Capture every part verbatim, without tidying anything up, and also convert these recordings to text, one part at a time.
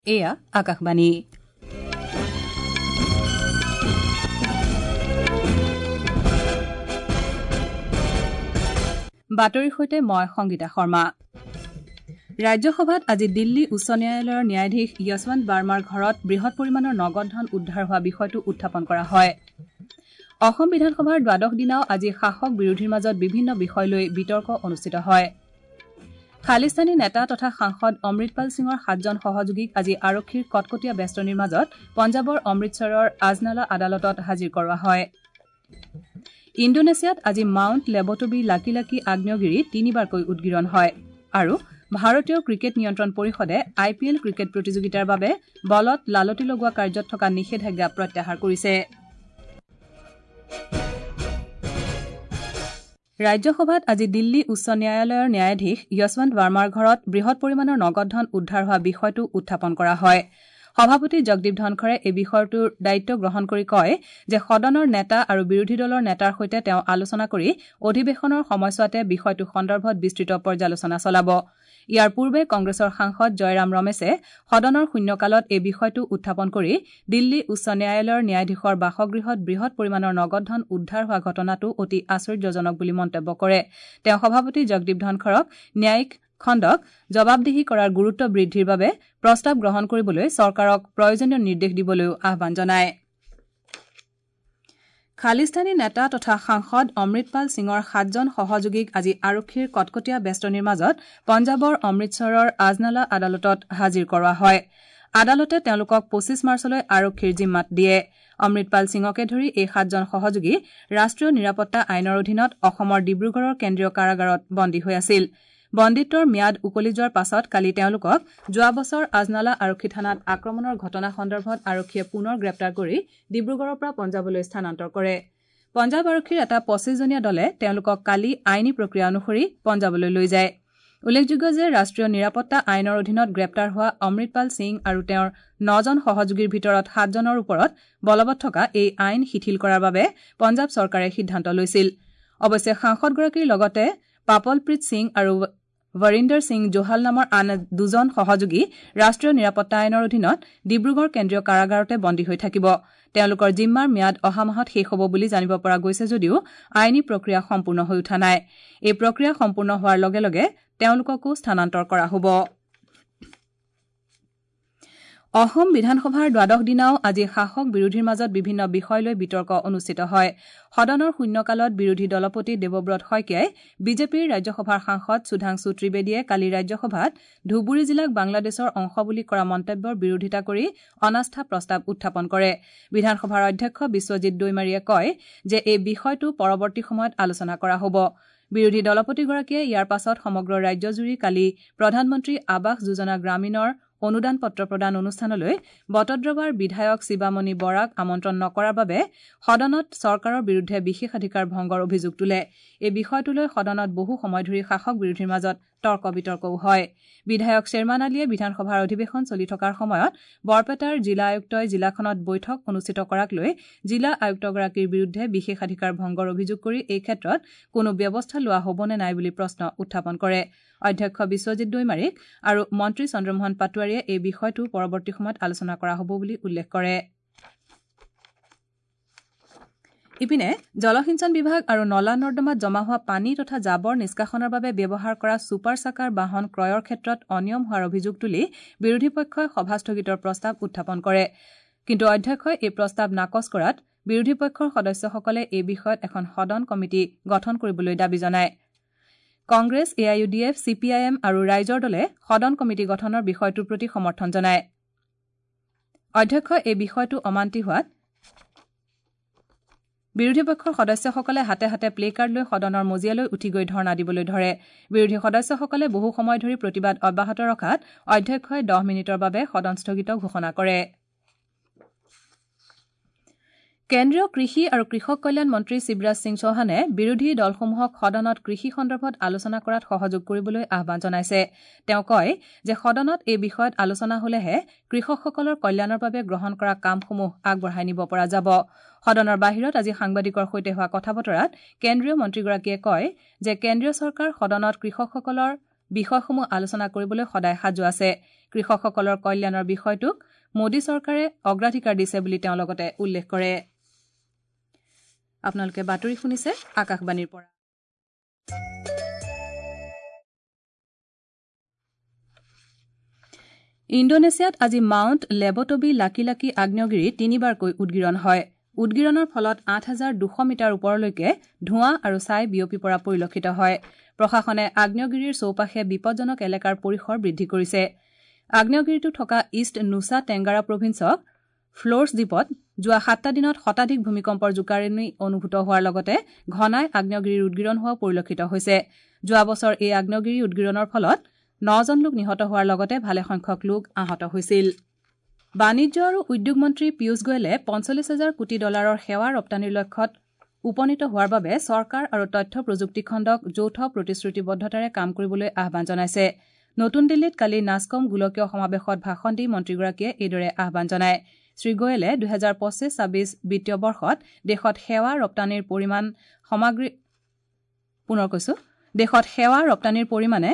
এয়া আকাশবাণী। বাতৰিৰ সৈতে মই সংগীতা শৰ্মা। ৰাজ্যসভাত আজি দিল্লী উচ্চ ন্যায়ালয়ৰ ন্যায়াধীশ যশৱন্ত বাৰ্মাৰ ঘৰত বৃহৎ পৰিমাণৰ নগদ ধন উদ্ধাৰ হোৱা বিষয়টো উত্থাপন কৰা হয়। অসম বিধানসভাৰ দ্বাদশ দিনাও আজি শাসক বিৰোধীৰ মাজত বিভিন্ন বিষয় লৈ বিতৰ্ক অনুষ্ঠিত হয়। খালিস্তানী নেতা তথা সাংসদ অমৃতপাল সিঙৰ সাতজন সহযোগীক আজি আৰক্ষীৰ কটকটীয়া বেষ্টনীৰ মাজত পঞ্জাৱৰ অমৃতসৰৰ আজনালা আদালতত হাজিৰ কৰোৱা হয়। ইণ্ডোনেছিয়াত আজি মাউণ্ট লেবটবি লাকি লাকি আগ্নেয়গিৰিত তিনিবাৰকৈ উদগীৰণ হয় আৰু ভাৰতীয় ক্ৰিকেট নিয়ন্ত্ৰণ পৰিষদে আই পি এল ক্ৰিকেট প্ৰতিযোগিতাৰ বাবে বলত লালতি লগোৱা কাৰ্যত থকা নিষেধাজ্ঞা প্ৰত্যাহাৰ কৰিছে। ৰাজ্যসভাত আজি দিল্লী উচ্চ ন্যায়ালয়ৰ ন্যায়াধীশ যশৱন্ত বাৰ্মাৰ ঘৰত বৃহৎ পৰিমাণৰ নগদ ধন উদ্ধাৰ হোৱা বিষয়টো উত্থাপন কৰা হয়। সভাপতি জগদীপ ধনখৰে এই বিষয়টোৰ দায়িত্ব গ্ৰহণ কৰি কয় যে সদনৰ নেতা আৰু বিৰোধী দলৰ নেতাৰ সৈতে তেওঁ আলোচনা কৰি অধিৱেশনৰ সময়ছোৱাতে বিষয়টো সন্দৰ্ভত বিস্তৃত পৰ্যালোচনা চলাব। ইয়াৰ পূৰ্বে কংগ্ৰেছৰ সাংসদ জয়ৰাম ৰমেশে সদনৰ শূন্যকালত এই বিষয়টো উত্থাপন কৰি দিল্লী উচ্চ ন্যায়ালয়ৰ ন্যায়াধীশৰ বাসগৃহত বৃহৎ পৰিমাণৰ নগদ ধন উদ্ধাৰ হোৱা ঘটনাটো অতি আশ্চৰ্যজনক বুলি মন্তব্য কৰে। তেওঁ সভাপতি জগদীপ ধনখৰক ন্যায়িক খণ্ডক জবাবদিহি কৰাৰ গুৰুত্ব বৃদ্ধিৰ বাবে প্ৰস্তাৱ গ্ৰহণ কৰিবলৈ চৰকাৰক প্ৰয়োজনীয় নিৰ্দেশ দিবলৈও আহ্বান জনায়। খালিস্তানী নেতা তথা সাংসদ অমৃতপাল সিঙৰ সাতজন সহযোগীক আজি আৰক্ষীৰ কটকটীয়া বেষ্টনীৰ মাজত পঞ্জাৱৰ অমৃতসৰৰ আজনালা আদালতত হাজিৰ কৰোৱা হয়। আদালতে তেওঁলোকক পঁচিছ মাৰ্চলৈ আৰক্ষীৰ জিম্মাত দিয়ে। অমৃতপাল সিঙকে ধৰি এই সাতজন সহযোগী ৰাষ্ট্ৰীয় নিৰাপত্তা আইনৰ অধীনত অসমৰ ডিব্ৰুগড়ৰ কেন্দ্ৰীয় কাৰাগাৰত বন্দী হৈ আছিল। বন্দীত্বৰ ম্যাদ উকলি যোৱাৰ পাছত কালি তেওঁলোকক যোৱা বছৰ আজনালা আৰক্ষী থানাত আক্ৰমণৰ ঘটনা সন্দৰ্ভত আৰক্ষীয়ে পুনৰ গ্ৰেপ্তাৰ কৰি ডিব্ৰুগড়ৰ পৰা পঞ্জাৱলৈ স্থানান্তৰ কৰে। পঞ্জাৱ আৰক্ষীৰ এটা পঁচিছজনীয়া দলে তেওঁলোকক কালি আইনী প্ৰক্ৰিয়া অনুসৰি পঞ্জাৱলৈ লৈ যায়। উল্লেখযোগ্য যে ৰাষ্ট্ৰীয় নিৰাপত্তা আইনৰ অধীনত গ্ৰেপ্তাৰ হোৱা অমৃতপাল সিং আৰু তেওঁৰ নজন সহযোগীৰ ভিতৰত সাতজনৰ ওপৰত বলবৎ থকা এই আইন শিথিল কৰাৰ বাবে পঞ্জাৱ চৰকাৰে সিদ্ধান্ত লৈছিল। অৱশ্যে সাংসদগৰাকীৰ লগতে পাপলপ্ৰীত সিং আৰু বৰিন্দৰ সিং জোহাল নামৰ আন দুজন সহযোগী ৰাষ্ট্ৰীয় নিৰাপত্তা আইনৰ অধীনত ডিব্ৰুগড় কেন্দ্ৰীয় কাৰাগাৰতে বন্দী হৈ থাকিব। তেওঁলোকৰ জিম্মাৰ ম্যাদ অহা মাহত শেষ হ'ব বুলি জানিব পৰা গৈছে যদিও আইনী প্ৰক্ৰিয়া সম্পূৰ্ণ হৈ উঠা নাই। এই প্ৰক্ৰিয়া সম্পূৰ্ণ হোৱাৰ লগে লগে তেওঁলোককো স্থানান্তৰ কৰা হ'ব। অসম বিধানসভাৰ দ্বাদশ দিনাও আজি শাসক বিৰোধীৰ মাজত বিভিন্ন বিষয় লৈ বিতৰ্ক অনুষ্ঠিত হয়। সদনৰ শূন্যকালত বিৰোধী দলপতি দেৱব্ৰত শইকীয়াই বিজেপিৰ ৰাজ্যসভাৰ সাংসদ সুধাংশু ত্ৰিবেদীয়ে কালি ৰাজ্যসভাত ধুবুৰী জিলাক বাংলাদেশৰ অংশ বুলি কৰা মন্তব্যৰ বিৰোধিতা কৰি অনাস্থা প্ৰস্তাৱ উত্থাপন কৰে। বিধানসভাৰ অধ্যক্ষ বিশ্বজিৎ দৈমাৰীয়ে কয় যে এই বিষয়টো পৰৱৰ্তী সময়ত আলোচনা কৰা হ'ব। বিৰোধী দলপতিগৰাকীয়ে ইয়াৰ পাছত সমগ্ৰ ৰাজ্যজুৰি কালি প্ৰধানমন্ত্ৰী আৱাস যোজনা গ্ৰামীণৰ অনুদান পত্ৰ প্ৰদান অনুষ্ঠানলৈ বটদ্ৰৱাৰ বিধায়ক শিৱামণি বৰাক আমন্ত্ৰণ নকৰাৰ বাবে সদনত চৰকাৰৰ বিৰুদ্ধে বিশেষাধিকাৰ ভংগৰ অভিযোগ তোলে। এই বিষয়টোলৈ সদনত বহু সময় ধৰি শাসক বিৰোধীৰ মাজত তৰ্ক বিতৰ্কও হয়। বিধায়ক শ্বেৰমান আলীয়ে বিধানসভাৰ অধিৱেশন চলি থকাৰ সময়ত বৰপেটাৰ জিলা আয়ুক্তই জিলাখনত বৈঠক অনুষ্ঠিত কৰাক লৈ জিলা আয়ুক্তগৰাকীৰ বিৰুদ্ধে বিশেষাধিকাৰ ভংগৰ অভিযোগ কৰি এই ক্ষেত্ৰত কোনো ব্যৱস্থা লোৱা হ'ব নে নাই বুলি প্ৰশ্ন উত্থাপন কৰে। অধ্যক্ষ বিশ্বজিৎ দৈমাৰীক আৰু মন্ত্ৰী চন্দ্ৰমোহন পাটোৱাৰীয়ে এই বিষয়টো পৰৱৰ্তী সময়ত আলোচনা কৰা হ'ব বুলি উল্লেখ কৰে। ইপিনে জলসিঞ্চন বিভাগ আৰু নলা নৰ্দমাত জমা হোৱা পানী তথা জাবৰ নিষ্কাশনৰ বাবে ব্যৱহাৰ কৰা ছুপাৰ চাকাৰ বাহন ক্ৰয়ৰ ক্ষেত্ৰত অনিয়ম হোৱাৰ অভিযোগ তুলি বিৰোধী পক্ষই সভা স্থগিতৰ প্ৰস্তাৱ উত্থাপন কৰে। কিন্তু অধ্যক্ষই এই প্ৰস্তাৱ নাকচ কৰাত বিৰোধী পক্ষৰ সদস্যসকলে এই বিষয়ত এখন সদন কমিটি গঠন কৰিবলৈ দাবী জনায়। Congress, A I U D F, C P I M আৰু ৰাইজৰ দলে সদন কমিটি গঠনৰ বিষয়টোৰ প্ৰতি সমৰ্থন জনায়। অধ্যক্ষই এই বিষয়টো অমান্তি হোৱাত বিৰোধী পক্ষৰ সদস্যসকলে হাতে হাতে প্লে কাৰ্ড লৈ সদনৰ মজিয়ালৈ উঠি গৈ ধৰ্ণা দিবলৈ ধৰে। বিৰোধী সদস্যসকলে বহু সময় ধৰি প্ৰতিবাদ অব্যাহত ৰখাত অধ্যক্ষই দহ মিনিটৰ বাবে সদন স্থগিত ঘোষণা কৰে। কেন্দ্ৰীয় কৃষি আৰু কৃষক কল্যাণ মন্ত্ৰী শিৱৰাজ সিং চৌহানে বিৰোধী দলসমূহক সদনত কৃষি সন্দৰ্ভত আলোচনা কৰাত সহযোগ কৰিবলৈ আহ্বান জনাইছে। তেওঁ কয় যে সদনত এই বিষয়ত আলোচনা হলেহে কৃষকসকলৰ কল্যাণৰ বাবে গ্ৰহণ কৰা কামসমূহ আগবঢ়াই নিব পৰা যাব। সদনৰ বাহিৰত আজি সাংবাদিকৰ সৈতে হোৱা কথা বতৰাত কেন্দ্ৰীয় মন্ত্ৰীগৰাকীয়ে কয় যে কেন্দ্ৰীয় চৰকাৰ সদনত কৃষকসকলৰ বিষয়সমূহ আলোচনা কৰিবলৈ সদায় সাজু আছে। কৃষকসকলৰ কল্যাণৰ বিষয়টোক মোদী চৰকাৰে অগ্ৰাধিকাৰ দিছে বুলি তেওঁ লগতে উল্লেখ কৰে। আপোনালোকে বাতৰি শুনিছে আকাশবাণীৰ পৰা। ইণ্ডোনেছিয়াত আজি মাউণ্ট লেবটবি লাকি লাকি আগ্নেয়গিৰি তিনিবাৰকৈ উদগীৰণ হয়। উদগীৰণৰ ফলত আঠ হাজাৰ দুশ মিটাৰ ওপৰলৈকে ধোঁৱা আৰু ছাই বিয়পি পৰা পৰিলক্ষিত হয়। প্ৰশাসনে আগ্নেয়গিৰিৰ চৌপাশে বিপদজনক এলেকাৰ পৰিসৰ বৃদ্ধি কৰিছে। আগ্নেয়গিৰিটো থকা ইষ্ট নুছা টেংগাৰা প্ৰভিন্সক ফ্ল'ৰ্ছ দ্বীপত যোৱা সাতটা দিনত শতাধিক ভূমিকম্পৰ জোকাৰণি অনুভূত হোৱাৰ লগতে ঘনাই আগ্নেয়গিৰিৰ উদগীৰণ হোৱাও পৰিলক্ষিত হৈছে। যোৱা বছৰ এই আগ্নেয়গিৰি উদগীৰণৰ ফলত নজন লোক নিহত হোৱাৰ লগতে ভালেসংখ্যক লোক আহত হৈছিল। বাণিজ্য আৰু উদ্যোগ মন্ত্ৰী পীয়ুষ গোৱেলে পঞ্চল্লিছ হাজাৰ কোটি ডলাৰৰ সেৱা ৰপ্তানিৰ লক্ষ্যত উপনীত হোৱাৰ বাবে চৰকাৰ আৰু তথ্য প্ৰযুক্তি খণ্ডক যৌথ প্ৰতিশ্ৰুতিবদ্ধতাৰে কাম কৰিবলৈ আহ্বান জনাইছে। নতুন দিল্লীত কালি নাছকম গোলকীয় সমাৱেশত ভাষণ দি মন্ত্ৰীগৰাকীয়ে এইদৰে আহ্বান জনায়। শ্ৰীগোৱেলে দুহেজাৰ পঁচিছ ছাব্বিছ বিত্তীয় বৰ্ষত দেশত সেৱা ৰপ্তানিৰ পৰিমাণ সামগ্ৰী পুনৰ কৈছো দেশত সেৱা ৰপ্তানিৰ পৰিমাণে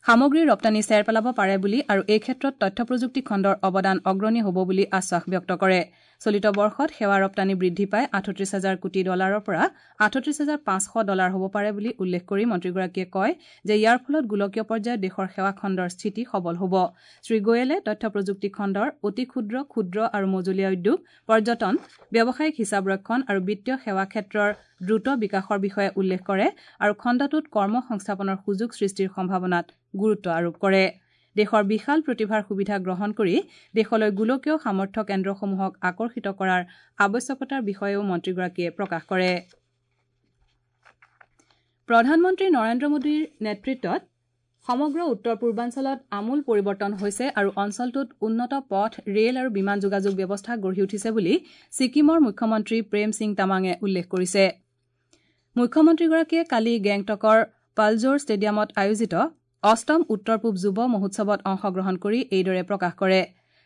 সামগ্ৰী ৰপ্তানি চেৰ পেলাব পাৰে বুলি আৰু এই ক্ষেত্ৰত তথ্য প্ৰযুক্তি খণ্ডৰ অৱদান অগ্ৰণী হ'ব বুলি আশ্বাস ব্যক্ত কৰে। চলিত বৰ্ষত সেৱা ৰপ্তানি বৃদ্ধি পাই আঠত্ৰিছ হাজাৰ কোটি ডলাৰৰ পৰা আঠত্ৰিছ হাজাৰ পাঁচশ ডলাৰ হ'ব পাৰে বুলি উল্লেখ কৰি মন্ত্ৰীগৰাকীয়ে কয় যে ইয়াৰ ফলত গোলকীয় পৰ্যায়ত দেশৰ সেৱা খণ্ডৰ স্থিতি সবল হ'ব। শ্ৰীগোৱেলে তথ্য প্ৰযুক্তি খণ্ডৰ অতি ক্ষুদ্ৰ, ক্ষুদ্ৰ আৰু মজলীয়া উদ্যোগ, পৰ্যটন, ব্যৱসায়িক হিচাপ ৰক্ষণ আৰু বিত্তীয় সেৱা ক্ষেত্ৰৰ দ্ৰুত বিকাশৰ বিষয়ে উল্লেখ কৰে আৰু খণ্ডটোত কৰ্ম সংস্থাপনৰ সুযোগ সৃষ্টিৰ সম্ভাৱনাত গুৰুত্ব আৰোপ কৰে। দেশৰ বিশাল প্ৰতিভাৰ সুবিধা গ্ৰহণ কৰি দেশলৈ গোলকীয় সামৰ্থ্য কেন্দ্ৰসমূহক আকৰ্ষিত কৰাৰ আৱশ্যকতাৰ বিষয়েও মন্ত্ৰীগৰাকীয়ে প্ৰকাশ কৰে। প্ৰধানমন্ত্ৰী নৰেন্দ্ৰ মোদীৰ নেতৃত্বত সমগ্ৰ উত্তৰ পূৰ্বাঞ্চলত আমূল পৰিৱৰ্তন হৈছে আৰু অঞ্চলটোত উন্নত পথ, ৰেল আৰু বিমান যোগাযোগ ব্যৱস্থা গঢ়ি উঠিছে বুলি ছিকিমৰ মুখ্যমন্ত্ৰী প্ৰেম সিং তামাঙে উল্লেখ কৰিছে। মুখ্যমন্ত্ৰীগৰাকীয়ে কালি গেংটকৰ পালজোৰ ষ্টেডিয়ামত আয়োজিত অষ্টম উত্তৰ পূব যুৱ মহোৎসৱত অংশগ্ৰহণ কৰি এইদৰে প্ৰকাশ কৰে।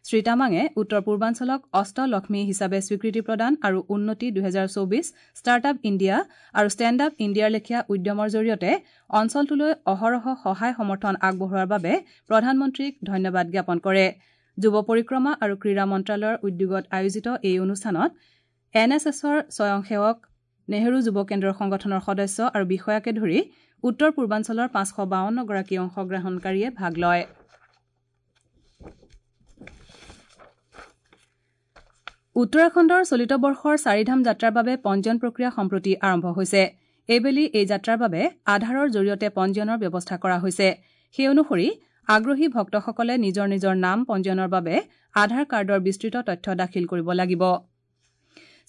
শ্ৰীতামাঙে উত্তৰ পূৰ্বাঞ্চলক অষ্টলক্ষ্মী হিচাপে স্বীকৃতি প্ৰদান আৰু উন্নতি দুহেজাৰ চৌবিছ, ষ্টাৰ্টআপ ইণ্ডিয়া আৰু ষ্টেণ্ড আপ ইণ্ডিয়াৰ লেখীয়া উদ্যমৰ জৰিয়তে অঞ্চলটোলৈ অহৰহ সহায় সমৰ্থন আগবঢ়োৱাৰ বাবে প্ৰধানমন্ত্ৰীক ধন্যবাদ জ্ঞাপন কৰে। যুৱ পৰিক্ৰমা আৰু ক্ৰীড়া মন্ত্ৰালয়ৰ উদ্যোগত আয়োজিত এই অনুষ্ঠানত এন এছ এছৰ স্বয়ংসেৱক, নেহৰু যুৱ কেন্দ্ৰৰ সংগঠনৰ সদস্য আৰু বিষয়াকে ধৰি উত্তৰ পূৰ্বাঞ্চলৰ পাঁচশ বাৱন্নগৰাকী অংশগ্ৰহণকাৰীয়ে ভাগ লয়। উত্তৰাখণ্ডৰ চলিত বৰ্ষৰ চাৰিধাম যাত্ৰাৰ বাবে পঞ্জীয়ন প্ৰক্ৰিয়া সম্প্ৰতি আৰম্ভ হৈছে। এইবেলি এই যাত্ৰাৰ বাবে আধাৰৰ জৰিয়তে পঞ্জীয়নৰ ব্যৱস্থা কৰা হৈছে। সেই অনুসৰি আগ্ৰহী ভক্তসকলে নিজৰ নিজৰ নাম পঞ্জীয়নৰ বাবে আধাৰ কাৰ্ডৰ বিস্তৃত তথ্য দাখিল কৰিব লাগিব।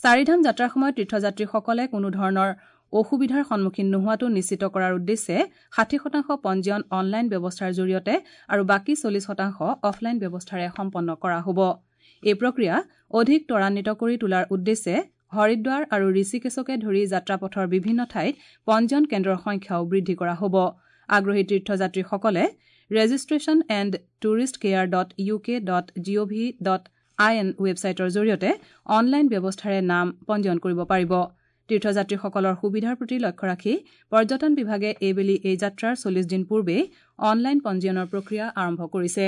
চাৰিধাম যাত্ৰাৰ সময়ত তীৰ্থযাত্ৰীসকলে কোনো ধৰণৰ অসুবিধাৰ সন্মুখীন নোহোৱাটো নিশ্চিত কৰাৰ উদ্দেশ্যে ষাঠি শতাংশ পঞ্জীয়ন অনলাইন ব্যৱস্থাৰ জৰিয়তে আৰু বাকী চল্লিছ শতাংশ অফলাইন ব্যৱস্থাৰে সম্পন্ন কৰা হ'ব। এই প্ৰক্ৰিয়া অধিক ত্বৰান্বিত কৰি তোলাৰ উদ্দেশ্যে হৰিদ্বাৰ আৰু ঋষিকেশকে ধৰি যাত্ৰাপথৰ বিভিন্ন ঠাইত পঞ্জীয়ন কেন্দ্ৰৰ সংখ্যাও বৃদ্ধি কৰা হ'ব। আগ্ৰহী তীৰ্থযাত্ৰীসকলে registration and tourist care dot U K dot G O V dot I N ৱেবছাইটৰ জৰিয়তে অনলাইন ব্যৱস্থাৰে নাম পঞ্জীয়ন কৰিব পাৰিব। তীৰ্থযাত্ৰীসকলৰ সুবিধাৰ প্ৰতি লক্ষ্য ৰাখি পৰ্যটন বিভাগে এইবেলি এই যাত্ৰাৰ চল্লিছ দিন পূৰ্বেই অনলাইন পঞ্জীয়নৰ প্ৰক্ৰিয়া আৰম্ভ কৰিছে।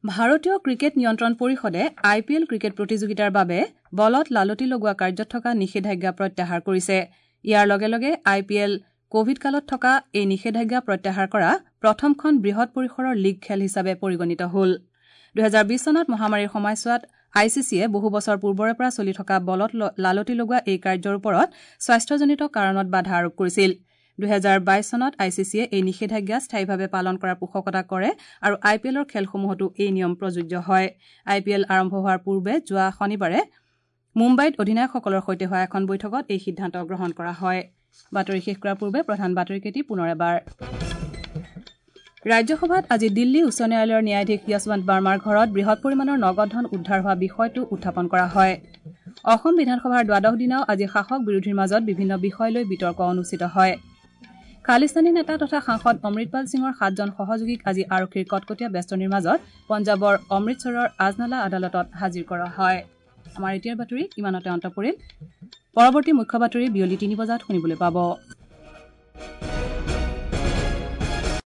ভাৰতীয় ক্ৰিকেট নিয়ন্ত্ৰণ পৰিষদে আই পি এল ক্ৰিকেট প্ৰতিযোগিতাৰ বাবে বলত লালতি লগোৱা কাৰ্যত থকা নিষেধাজ্ঞা প্ৰত্যাহাৰ কৰিছে। ইয়াৰ লগে লগে আই পি এল কোভিড কালত থকা এই নিষেধাজ্ঞা প্ৰত্যাহাৰ কৰা প্ৰথমখন বৃহৎ পৰিসৰৰ লীগ খেল হিচাপে পৰিগণিত হ'ল। দুহেজাৰ বিছ চনত মহামাৰীৰ সময়ছোৱাত I C চিয়ে বহু বছৰ পূৰ্বৰে পৰা চলি থকা বলত লালতি লগোৱা এই কাৰ্যৰ ওপৰত স্বাস্থ্যজনিত কাৰণত বাধা আৰোপ কৰিছিল। দুহেজাৰ বাইছ চনত I C চিয়ে এই নিষেধাজ্ঞা স্থায়ীভাৱে পালন কৰাৰ পোষকতা কৰে আৰু আই পি এলৰ খেলসমূহতো এই নিয়ম প্ৰযোজ্য হয়। আই পি এল আৰম্ভ হোৱাৰ পূৰ্বে যোৱা শনিবাৰে মুম্বাইত অধিনায়কসকলৰ সৈতে হোৱা এখন বৈঠকত এই সিদ্ধান্ত গ্ৰহণ কৰা হয়। বাতৰি শেষ কৰাৰ পূৰ্বে প্ৰধান বাতৰিকেইটি পুনৰ এবাৰ। ৰাজ্যসভাত আজি দিল্লী উচ্চ ন্যায়ালয়ৰ ন্যায়াধীশ য়শৱন্ত বাৰ্মাৰ ঘৰত বৃহৎ পৰিমাণৰ নগদ ধন উদ্ধাৰ হোৱা বিষয়টো উত্থাপন কৰা হয়। অসম বিধানসভাৰ দ্বাদশ দিনাও আজি শাসক বিৰোধীৰ মাজত বিভিন্ন বিষয় লৈ বিতৰ্ক অনুষ্ঠিত হয়। খালিস্তানী নেতা তথা সাংসদ অমৃতপাল সিঙৰ সাতজন সহযোগীক আজি আৰক্ষীৰ কটকটীয়া বেষ্টনীৰ মাজত পঞ্জাৱৰ অমৃতসৰৰ আজনালা আদালতত হাজিৰ কৰা হয়। আমাৰ এতিয়াৰ বাতৰি ইমানতে অন্ত পৰিল। পৰৱৰ্তী মুখ্য বাতৰি বিয়লি তিনি বজাত শুনিবলৈ পাব।